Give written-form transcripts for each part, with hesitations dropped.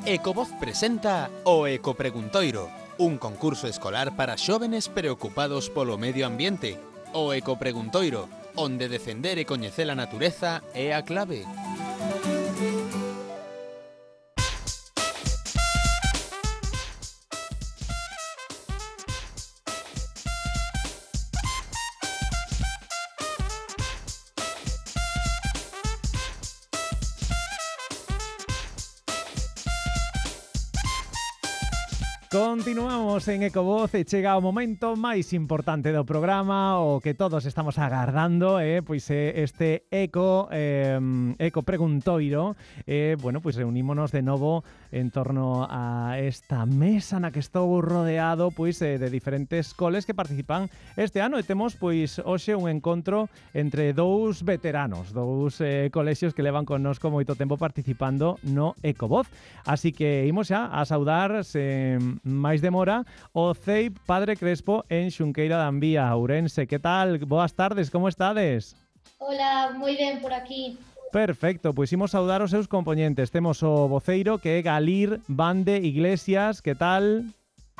Ecovoz presenta o Ecopreguntoiro, un concurso escolar para xóvenes preocupados polo medio ambiente. O Ecopreguntoiro, onde defender e coñecer a natureza é a clave. Continuamos en Ecovoz e chega o momento máis importante do programa, o que todos estamos agardando, pois este Eco Preguntoiro. Bueno, pois reunímonos de novo en torno a esta mesa na que estou rodeado pois de diferentes coles que participan este ano, e temos pois hoxe un encontro entre dous veteranos, dous colexios que levan connosco moito tempo participando no Ecovoz. Así que imos xa a saudar máis demora o CEIP Padre Crespo en Xunqueira da Envía, Ourense. Que tal? Boas tardes, como estades? Hola, moi ben por aquí. Perfecto, pois imos saudar os seus componentes. Temos o voceiro, que é Galir Bande Iglesias. Que tal?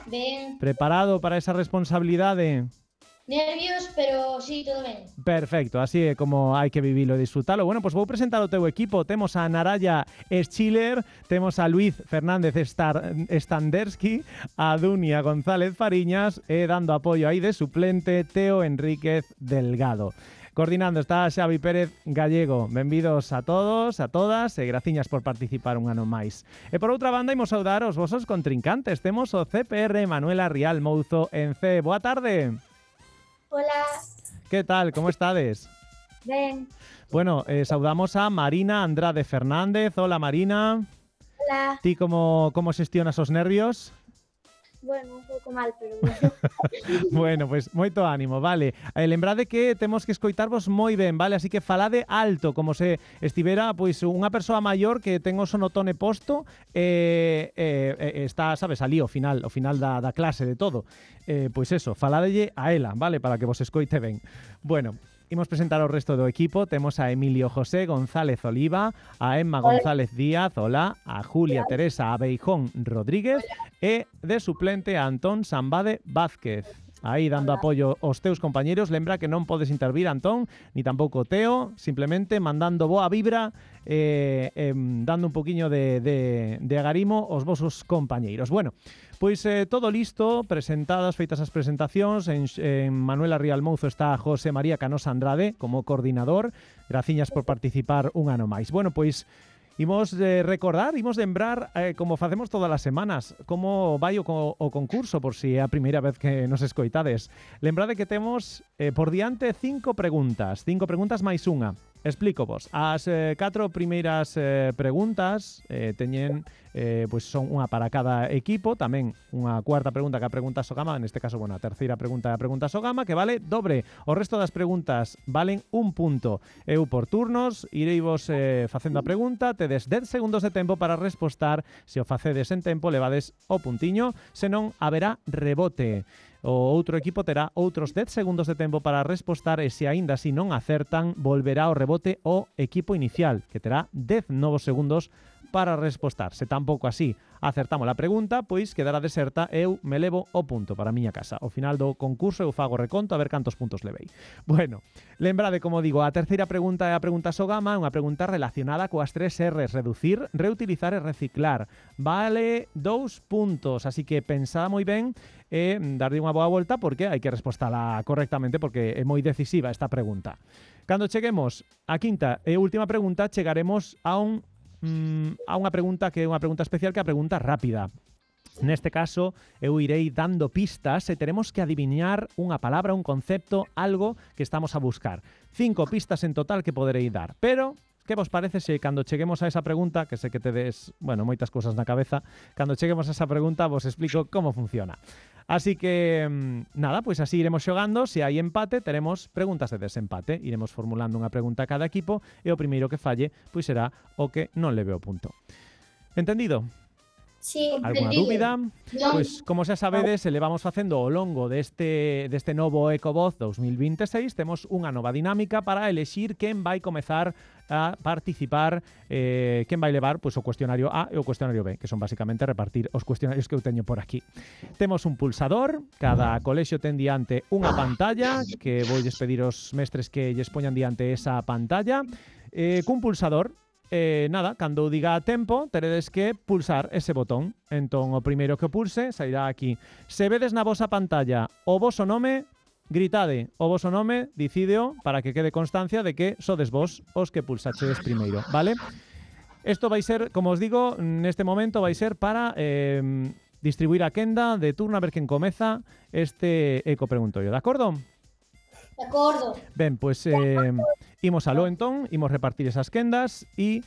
Ben. Preparado para esa responsabilidade? Nervios, pero sí, todo ben. Perfecto, así é como hai que vivilo e disfrutalo. Bueno, pois vou presentar o teu equipo. Temos a Naraya Schiller, temos a Luis Fernández Standersky, a Dunia González Fariñas e dando apoio aí de suplente Teo Enríquez Delgado. Coordinando está Xavi Pérez Gallego. Benvidos a todos, a todas, e graciñas por participar un ano máis. E por outra banda, imos saudar os vosos contrincantes. Temos o CPR Manuela Rial Mouzo en C. Boa tarde. Hola. Que tal? Como estades? Ben. Bueno, saudamos a Marina Andrade Fernández. Hola, Marina. Hola. Ti como xestionas os nervios? Bueno, un pouco mal, pero bueno. Bueno, pois moito ánimo, vale. Lembrade que temos que escoitarvos moi ben, vale? Así que falade alto, como se estivera pois unha persoa maior que ten o sonotone posto está, sabes, ali ao final da clase de todo. Pois eso, faladelle a ela, vale? Para que vos escoite ben. Bueno, imos presentar o resto do equipo. Temos a Emilio José González Oliva, a Emma González Díaz, hola, a Julia Teresa Abeijón Rodríguez e de suplente a Antón Sambade Vázquez. Aí dando apoio aos teus compañeros. Lembra que non podes intervir, Antón, ni tampouco Teo, simplemente mandando boa vibra, dando un poquinho de agarimo aos vosos compañeiros. Bueno, pois todo listo, feitas as presentacións. En Manuela Rial Mouzo está José María Canosa Andrade como coordinador. Graciñas por participar un ano máis. Bueno, pois imos recordar, imos lembrar, como facemos todas as semanas, como vai o concurso, por si é a primeira vez que nos escoitades. Lembrade que temos por diante 5 preguntas máis unha. Explícovos. As 4 primeiras preguntas teñen, pois son unha para cada equipo, tamén unha cuarta pregunta que a pregunta Sogama, neste caso, bueno, a terceira pregunta é a pregunta Sogama, que vale dobre. O resto das preguntas valen un punto. Eu por turnos ireivos facendo a pregunta, tedes 10 segundos de tempo para respostar. Se o facedes en tempo, levades o puntiño, senón haberá rebote. O outro equipo terá outros 10 segundos de tempo para respostar, e se aínda así non acertan, volverá ao rebote o equipo inicial, que terá 10 novos segundos para respostar. Se tampouco así acertamos a pregunta, pois quedará deserta e eu me levo o punto para a miña casa. Ao final do concurso eu fago reconto a ver cantos puntos levei. Bueno, lembrade, como digo, a terceira pregunta é a pregunta Sogama, unha pregunta relacionada coas 3 R's: reducir, reutilizar e reciclar. Vale 2 puntos, así que pensada moi ben e darlle unha boa volta, porque hai que respostala correctamente, porque é moi decisiva esta pregunta. Cando cheguemos á quinta e última pregunta, chegaremos a unha pregunta que é unha pregunta especial, que é a pregunta rápida. Neste caso, eu irei dando pistas e teremos que adivinar unha palabra, un concepto, algo que estamos a buscar. 5 pistas en total que poderei dar, pero que vos parece se cando cheguemos a esa pregunta, que sei que tedes, bueno, moitas cousas na cabeza, cando cheguemos a esa pregunta vos explico como funciona. Así que, nada, pois así iremos xogando. Se hai empate, teremos preguntas de desempate. Iremos formulando unha pregunta a cada equipo e o primeiro que falle, pois será o que non leve o punto. Entendido? Sí. Alguna dúbida? Pois, como xa sabedes, elevamos facendo ao longo deste novo Ecovoz 2026, temos unha nova dinámica para elexir quen vai comezar a participar, quen vai levar pois, o cuestionario A e o cuestionario B, que son basicamente repartir os cuestionarios que eu teño por aquí. Temos un pulsador, cada colexio ten diante unha pantalla, que voulles pedir aos mestres que lles poñan diante esa pantalla, cun pulsador. Nada, cando diga tempo teredes que pulsar ese botón. Entón o primeiro que pulse sairá aquí. Se vedes na vosa pantalla o voso nome, gritade o voso nome, dicídeo para que quede constancia de que sodes vos os que pulsachedes primeiro, vale? Isto vai ser, como os digo, neste momento vai ser para distribuir a quenda de turno a ver quen comeza este Eco Preguntorio, de acordo? De acordo. Ben, pois imos aló entón, imos repartir esas quendas e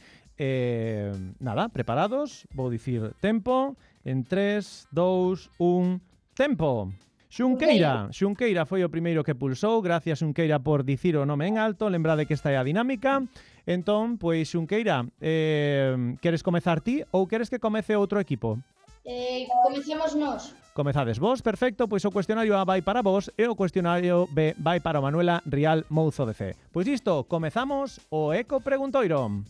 nada, preparados, vou dicir tempo en 3, 2, 1, tempo. Xunqueira foi o primeiro que pulsou. Gracias, Xunqueira, por dicir o nome en alto. Lembrade que esta é a dinámica. Entón, pois, Xunqueira, queres comezar ti ou queres que comece outro equipo? Comecemos nós. Comezades vos, perfecto, pois o cuestionario A vai para vos e o cuestionario B vai para Manuela Rial Mouzo de C. Pois isto, comezamos o Eco Preguntoiro.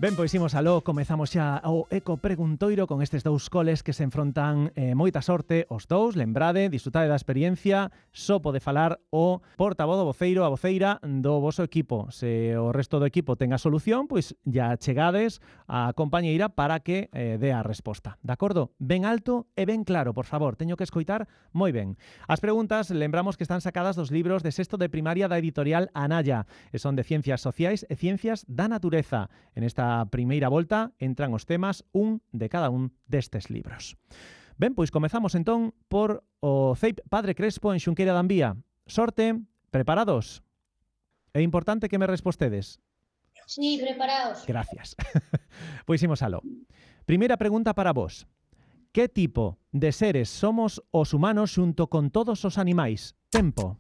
Ben, pois imos aló, comezamos xa o Eco Preguntoiro con estes dous coles que se enfrontan moita sorte os dous, lembrade, disfrutade da experiencia, só pode falar o portavoz, o voceiro, a voceira do voso equipo. Se o resto do equipo ten a solución, pois ya chegades a compañeira para que dé a resposta. De acordo? Ben alto e ben claro, por favor, teño que escoitar moi ben. As preguntas, lembramos que están sacadas dos libros de sexto de primaria da editorial Anaya, e son de Ciencias Sociais e Ciencias da Natureza. En esta primeira volta entran os temas un de cada un destes libros. Ben, pois comezamos entón por o CEIP Padre Crespo en Xunqueira da Ambía. Sorte, preparados? É importante que me respostedes. Sí, preparados. Gracias. Pois imos aló. Primeira pregunta para vos. Que tipo de seres somos os humanos xunto con todos os animais? Tempo.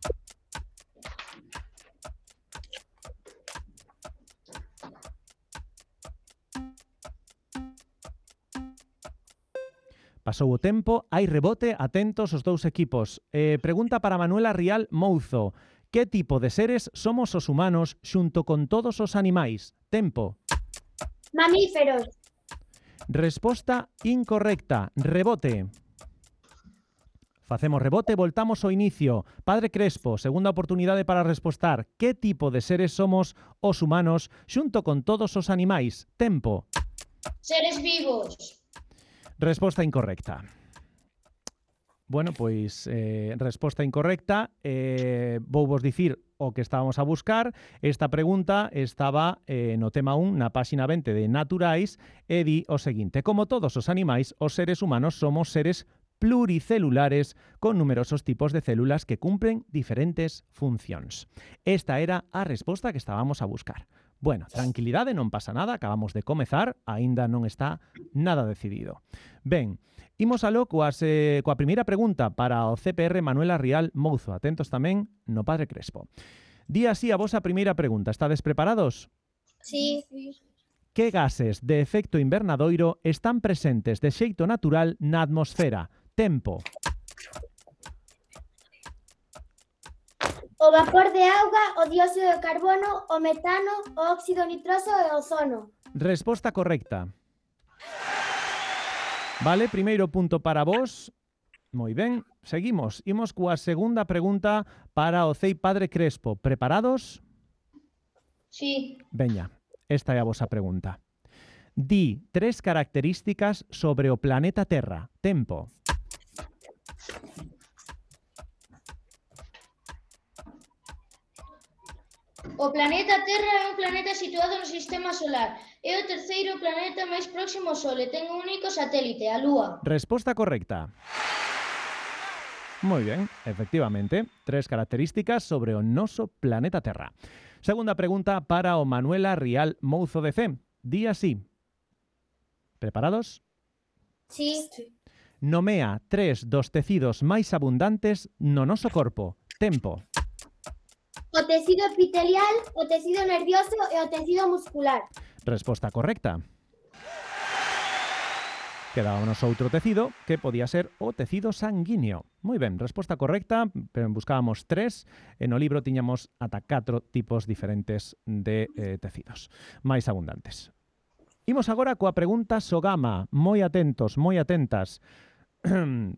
Pasou o tempo, hai rebote, atentos os dous equipos. Pregunta para Manuela Rial Mouzo. Que tipo de seres somos os humanos xunto con todos os animais? Tempo. Mamíferos. Resposta incorrecta. Rebote. Facemos rebote, voltamos ao inicio. Padre Crespo, segunda oportunidade para respostar. Que tipo de seres somos os humanos xunto con todos os animais? Tempo. Seres vivos. Resposta incorrecta. Bueno, pois, resposta incorrecta. Vou vos dicir o que estábamos a buscar. Esta pregunta estaba no tema 1, na páxina 20 de Naturais, e di o seguinte: como todos os animais, os seres humanos somos seres pluricelulares con numerosos tipos de células que cumplen diferentes funcións. Esta era a resposta que estábamos a buscar. Bueno, tranquilidade, non pasa nada, acabamos de comezar, aínda non está nada decidido. Ben, imos aló coa primeira pregunta para o CPR Manuela Rial Mouzo. Atentos tamén no Padre Crespo. Di así a vosa primeira pregunta. Estades preparados? Sí. Que gases de efecto invernadoiro están presentes de xeito natural na atmosfera? Tempo. O vapor de auga, o dióxido de carbono, o metano, o óxido nitroso e o ozono. Resposta correcta. Vale, primeiro punto para vos. Moi ben, seguimos. Imos coa segunda pregunta para o CEIP Padre Crespo. Preparados? Sí. Veña, esta é a vosa pregunta. Di 3 características sobre o planeta Terra. Tempo. O planeta Terra é un planeta situado no Sistema Solar. É o terceiro planeta máis próximo ao Sol e ten un único satélite, a Lúa. Resposta correcta. Moi ben, efectivamente, 3 características sobre o noso planeta Terra. Segunda pregunta para o Manuela Rial Mouzo de C. Di así. Preparados? Sí. Nomea 3 dos tecidos máis abundantes no noso corpo. Tempo. O o tecido epitelial, o tecido nervioso e o tecido muscular. Resposta correcta. Quedábamos outro tecido que podía ser o tecido sanguíneo. Moi ben, resposta correcta, pero buscábamos 3, e no libro tiñamos ata 4 tipos diferentes de tecidos, máis abundantes. Imos agora coa pregunta Sogama. Moi atentos, moi atentas.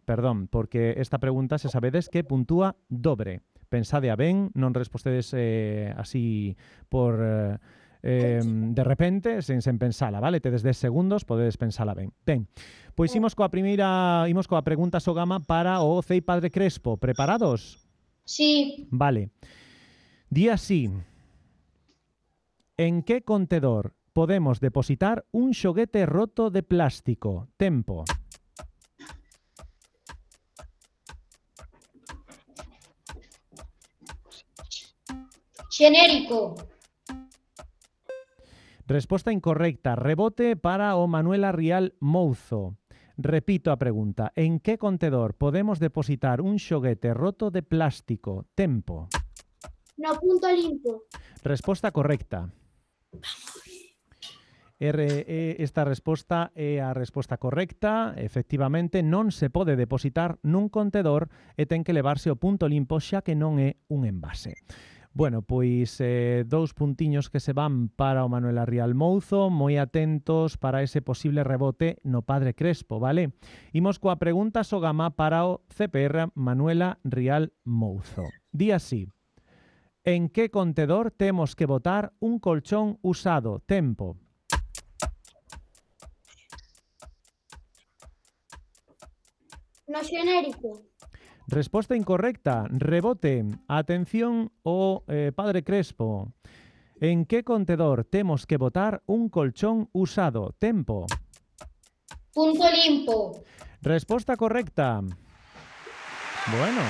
Perdón, porque esta pregunta se sabedes que puntúa dobre. Pensade a ben, non respostedes así por... de repente, sen pensala, vale? Tedes 10 segundos, podedes pensala ben. Ben, pois imos coa pregunta Sogama para o Cei Padre Crespo. Preparados? Sí. Vale. Di así. En que contedor podemos depositar un xoguete roto de plástico? Tempo. Xenérico. Resposta incorrecta. Rebote para o Manuela Rial Mouzo. Repito a pregunta. En que contedor podemos depositar un xoguete roto de plástico? Tempo. No punto limpo. Resposta correcta. Esta resposta é a resposta correcta. Efectivamente, non se pode depositar nun contedor e ten que levarse ao punto limpo xa que non é un envase. Bueno, pois 2 puntiños que se van para o Manuela Rial Mouzo, moi atentos para ese posible rebote no Padre Crespo, vale? Imos coa pregunta Sogama para o CPR Manuela Rial Mouzo. Di así. En que contedor temos que botar un colchón usado? Tempo. No xenérico. Resposta incorrecta. Rebote. Atención o Padre Crespo. En que contedor temos que botar un colchón usado? Tempo. Punto limpo. Resposta correcta. Bueno,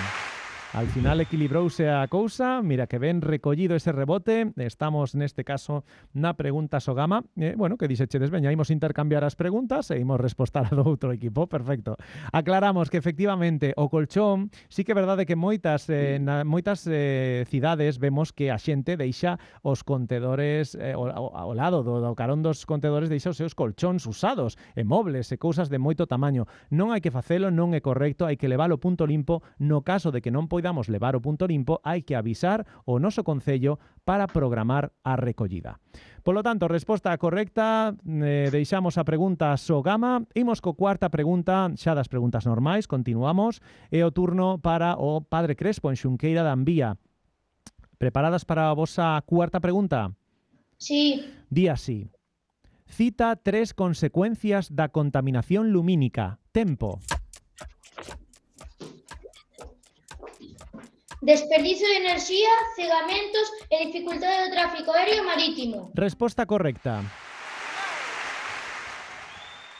al final equilibrouse a cousa. Mira que ben recollido ese rebote. Estamos neste caso na pregunta Sogama. Bueno, que dixechedes, veña, imos intercambiar as preguntas e imos respostar a do outro equipo. Perfecto. Aclaramos que efectivamente o colchón, sí que é verdade que moitas cidades vemos que a xente deixa os contedores ao lado do carón dos contedores, deixa os seus colchóns usados e mobles e cousas de moito tamaño. Non hai que facelo, non é correcto, hai que leválo punto limpo. No caso de que non podamos levar o punto limpo, hai que avisar o noso concello para programar a recollida. Polo tanto, resposta correcta, deixamos a pregunta Sogama. Imos co cuarta pregunta, xa das preguntas normais, continuamos. É o turno para o Padre Crespo en Xunqueira da Ambía. Preparadas para a vosa cuarta pregunta? Sí. Di así. Cita 3 consecuencias da contaminación lumínica. Tempo. Desperdicio de enerxía, cegamentos e dificultade do tráfico aéreo e marítimo. Resposta correcta.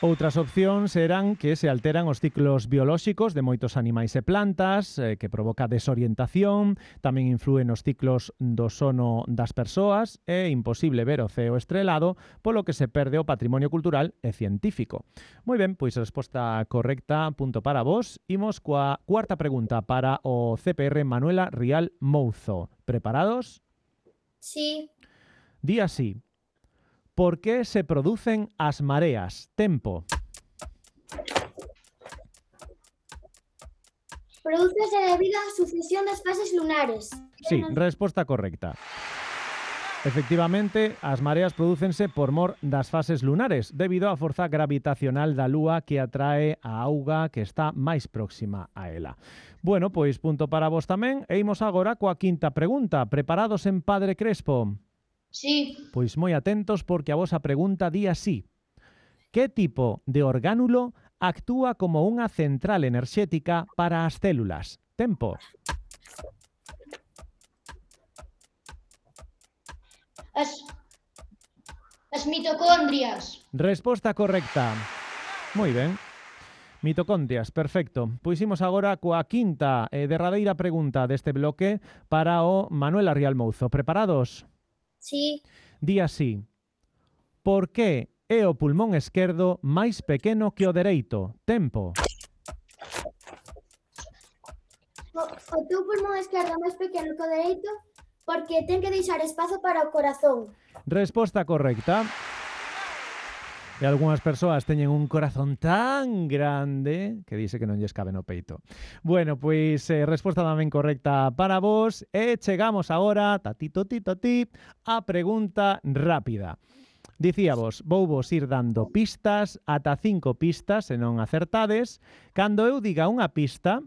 Outras opcións eran que se alteran os ciclos biolóxicos de moitos animais e plantas, que provoca desorientación, tamén influen os ciclos do sono das persoas, é imposible ver o ceo estrelado, polo que se perde o patrimonio cultural e científico. Moi ben, pois resposta correcta, punto para vos. Imos coa cuarta pregunta para o CPR Manuela Rial Mouzo. Preparados? Sí. Di así. Por que se producen as mareas? Tempo. Prodúcese debido á sucesión das fases lunares. Sí, resposta correcta. Efectivamente, as mareas prodúcense por mor das fases lunares, debido á forza gravitacional da Lúa que atrae a auga que está máis próxima a ela. Bueno, pois punto para vos tamén, e imos agora coa quinta pregunta. Preparados en Padre Crespo? Sí. Pois moi atentos porque a vosa pregunta di así. Que tipo de orgánulo actúa como unha central enerxética para as células? Tempo. As mitocondrias. Resposta correcta. Moi ben. Mitocondrias, perfecto. Pois imos agora coa quinta e derradeira pregunta deste bloque para o Manuela Rial Mouzo. Preparados? Sí. Di así. Por que é o pulmón esquerdo máis pequeno que o dereito? Tempo. O teu pulmón esquerdo máis pequeno que o dereito Porque ten que deixar espazo para o corazón. Resposta correcta. E algunhas persoas teñen un corazón tan grande que dice que non lles cabe no peito. Bueno, pois resposta tamén correcta para vos. E chegamos agora, tatitotitoti, a pregunta rápida. Dicíavos, vou vos ir dando pistas, ata 5 pistas, se non acertades. Cando eu diga unha pista,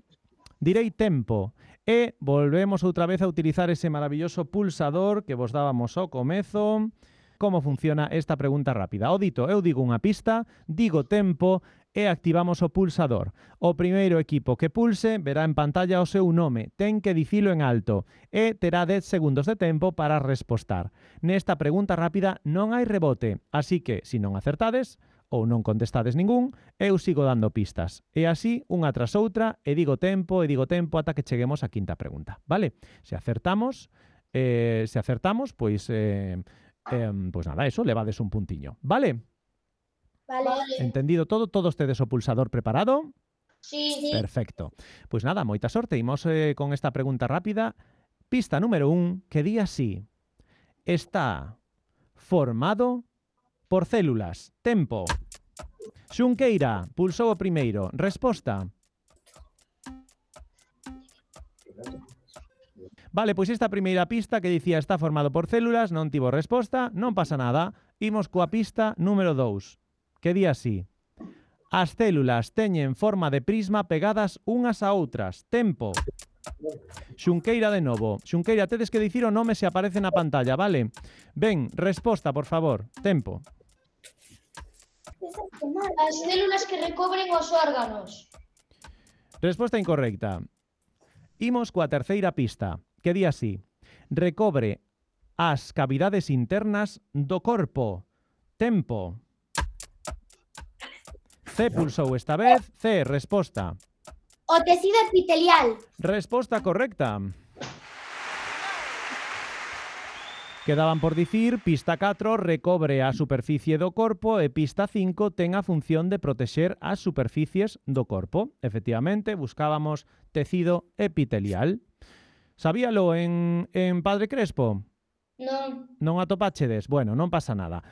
direi tempo. E volvemos outra vez a utilizar ese maravilloso pulsador que vos dábamos ao comezo. Como funciona esta pregunta rápida? O dito, eu digo unha pista, digo tempo e activamos o pulsador. O primeiro equipo que pulse verá en pantalla o seu nome, ten que dicilo en alto e terá 10 segundos de tempo para respostar. Nesta pregunta rápida non hai rebote, así que, se non acertades ou non contestades ningún, eu sigo dando pistas. E así, unha tras outra, e digo tempo ata que cheguemos á quinta pregunta, vale? Se acertamos, pois nada, eso, levades un puntiño, vale? Vale. Entendido todo? Todos tedes o pulsador preparado? Sí. Perfecto. Pois nada, moita sorte. Imos con esta pregunta rápida. Pista número 1, que di así. Está formado por células. Tempo. Xunqueira, pulsou o primeiro. Resposta. Vale, pois esta primeira pista que dicía está formado por células non tivo resposta, non pasa nada. Imos coa pista número 2, que di así. As células teñen forma de prisma pegadas unhas a outras. Tempo. Xunqueira de novo. Xunqueira, tedes que dicir o nome se aparece na pantalla, vale? Ben, resposta, por favor. Tempo. As células que recobren os órganos. Resposta incorrecta. Imos coa terceira pista, que di así. Recobre as cavidades internas do corpo. Tempo. C pulsou esta vez. C, resposta. O tecido epitelial. Resposta correcta. Quedaban por dicir, pista 4 recobre a superficie do corpo e pista 5 ten a función de protexer as superficies do corpo. Efectivamente, buscábamos tecido epitelial. Sabíalo en Padre Crespo? Non. Non atopáchedes? Bueno, non pasa nada.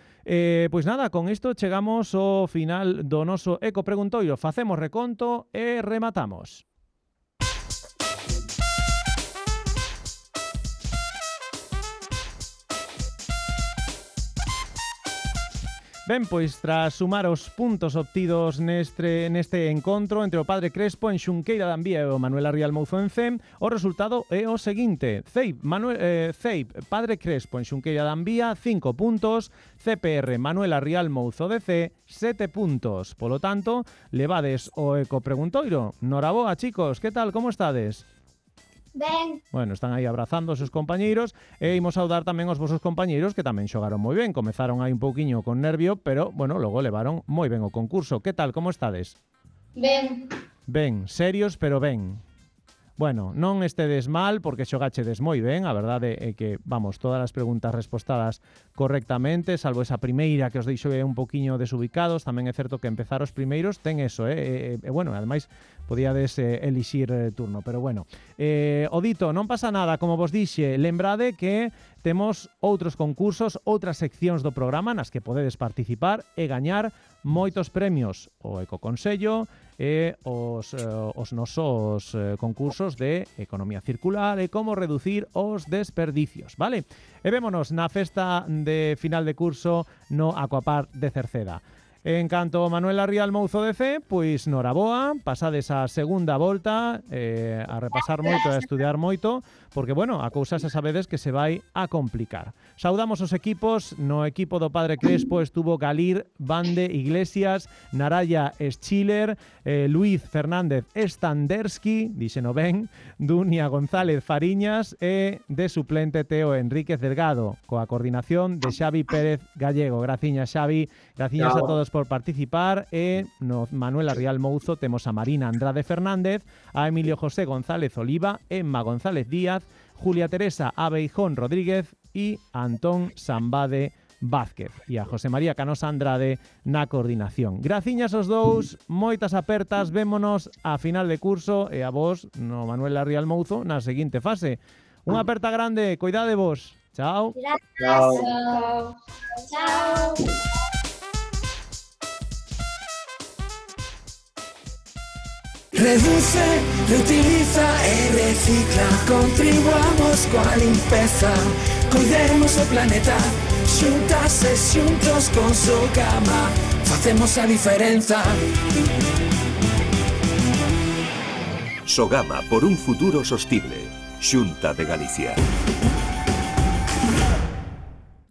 Pois nada, con isto chegamos ao final do noso Eco Preguntoiro. Facemos reconto e rematamos. Ben, pois tras sumar os puntos obtidos neste encontro entre o Padre Crespo en Xunqueira de Ambía e o Manuel Arrial Mouzo en CEM, o resultado é o seguinte. CEIP, Padre Crespo en Xunqueira de Ambía, 5 puntos. CPR, Manuel Arrial Mouzo de C, 7 puntos. Polo tanto, levades o Eco Preguntoiro. Noraboa, chicos, que tal, como estades? Ben. Bueno, están aí abrazando os seus compañeiros e imos saudar tamén os vosos compañeiros que tamén xogaron moi ben. Comezaron aí un pouquiño con nervio, pero, bueno, logo levaron moi ben o concurso. Que tal, como estades? Ben. Ben, serios, pero ben. Bueno, non estedes mal porque xogachedes moi ben, a verdade é que, vamos, todas as preguntas respostadas correctamente, salvo esa primeira que os deixou un poquiño desubicados. Tamén é certo que empezar os primeiros ten eso, bueno, ademais podíades elixir turno, pero bueno. O dito, non pasa nada, como vos dixe, lembrade que temos outros concursos, outras seccións do programa nas que podedes participar e gañar moitos premios, o Ecoconsello e os nosos concursos de economía circular e como reducir os desperdicios, vale? E vémonos na festa de final de curso no Aquapar de Cerceda. En canto Manuel Arrial Mouzo de C, pois noraboa, pasades a segunda volta a repasar moito e a estudiar moito, porque, bueno, a cousa xa sabedes que se vai a complicar. Saudamos os equipos. No equipo do Padre Crespo estuvo Galir Bande Iglesias, Naraya Schiller, Luis Fernández Standersky, dixeno ben, Dunia González Fariñas e de suplente Teo Enríquez Delgado, coa coordinación de Xavi Pérez Gallego. Graciñas, Xavi, graciñas a todos por participar. E no Manuel Arrial Mouzo temos a Marina Andrade Fernández, a Emilio José González Oliva, Emma González Díaz, Julia Teresa Abeijón Rodríguez e Antón Sambade Vázquez e a José María Canosa Andrade na coordinación. Graciñas aos dous, moitas apertas, vémonos a final de curso e a vos no Manuel Arrial Mouzo na seguinte fase. Unha aperta grande, coidade vos. Chao. Gracias. Chao. Chao. Reduce, reutiliza e recicla. Contribuamos coa limpeza. Coidemos o planeta. Xuntas e xuntos con Sogama facemos a diferenza. Sogama por un futuro sostible. Xunta de Galicia.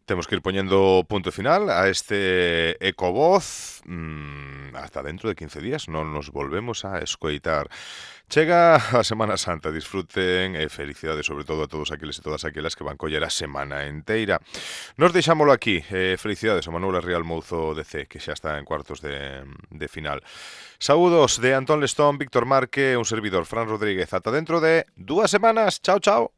Temos que ir poñendo punto final a este Ecovoz. Hasta dentro de 15 días non nos volvemos a escoitar. Chega a Semana Santa, disfruten e felicidades sobre todo a todos aqueles e todas aquelas que van coller a semana enteira. Nos deixámolo aquí. Felicidades a Manuela Real Mouzo DC, que xa está en cuartos de final. Saúdos de Antón Lestón, Víctor Marque, un servidor, Fran Rodríguez. Ata dentro de 2 semanas. Chao, chao.